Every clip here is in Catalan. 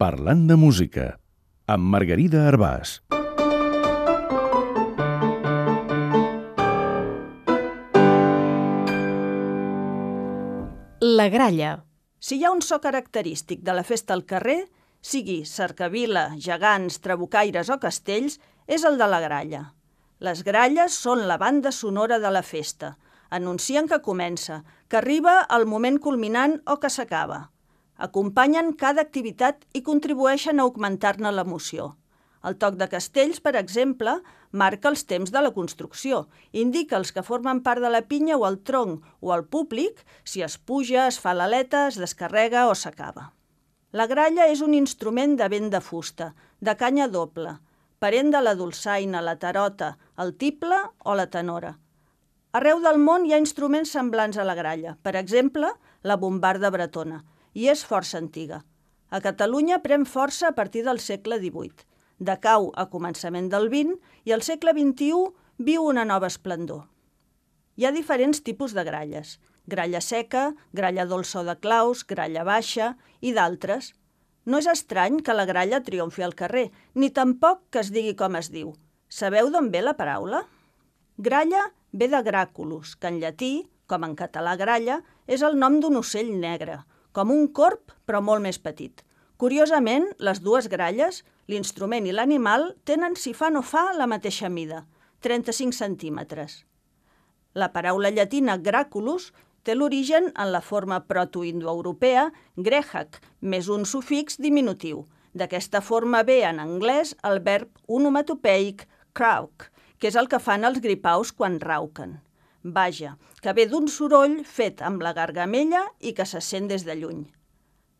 Parlant de música, amb Margarida Arbàs. La gralla. Si hi ha un so característic de la festa al carrer, sigui cercavila, gegants, trabucaires o castells, és el de la gralla. Les gralles són la banda sonora de la festa. Anuncien que comença, que arriba el moment culminant o que s'acaba. Acompanyen cada activitat i contribueixen a augmentar-ne l'emoció. El toc de castells, per exemple, marca els temps de la construcció, indica els que formen part de la pinya o el tronc o el públic, si es puja, es fa l'aleta, es descarrega o s'acaba. La gralla és un instrument de vent de fusta, de canya doble, parent de la dolçaina, la tarota, el tible o la tenora. Arreu del món hi ha instruments semblants a la gralla, per exemple, la bombarda bretona, i és força antiga. A Catalunya pren força a partir del segle XVIII. Decau a començament del XX i al segle XXI viu una nova esplendor. Hi ha diferents tipus de gralles. Gralla seca, gralla dolça o de claus, gralla baixa i d'altres. No és estrany que la gralla triomfi al carrer, ni tampoc que es digui com es diu. Sabeu d'on ve la paraula? Gralla ve de gràculus, que en llatí, com en català gralla, és el nom d'un ocell negre, com un corb però molt més petit. Curiosament, les dues gralles, l'instrument i l'animal, tenen, si fa no fa, la mateixa mida, 35 centímetres. La paraula llatina gràculus té l'origen en la forma protoindoeuropea grèhac, més un sufix diminutiu. D'aquesta forma ve en anglès el verb onomatopeic croak, que és el que fan els gripaus quan rauquen. Vaja, que ve d'un soroll fet amb la gargamella i que se sent des de lluny.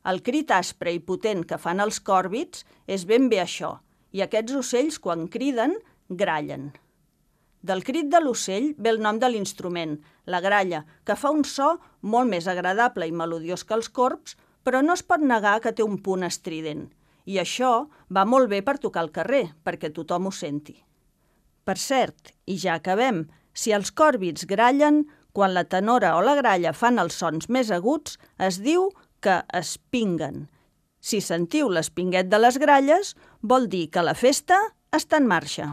El crit aspre i potent que fan els còrvids és ben bé això, i aquests ocells, quan criden, grallen. Del crit de l'ocell ve el nom de l'instrument, la gralla, que fa un so molt més agradable i melodiós que els corbs, però no es pot negar que té un punt estrident. I això va molt bé per tocar al carrer, perquè tothom ho senti. Per cert, i ja acabem, si els còrvids grallen, quan la tenora o la gralla fan els sons més aguts, es diu que espinguen. Si sentiu l'espinguet de les gralles, vol dir que la festa està en marxa.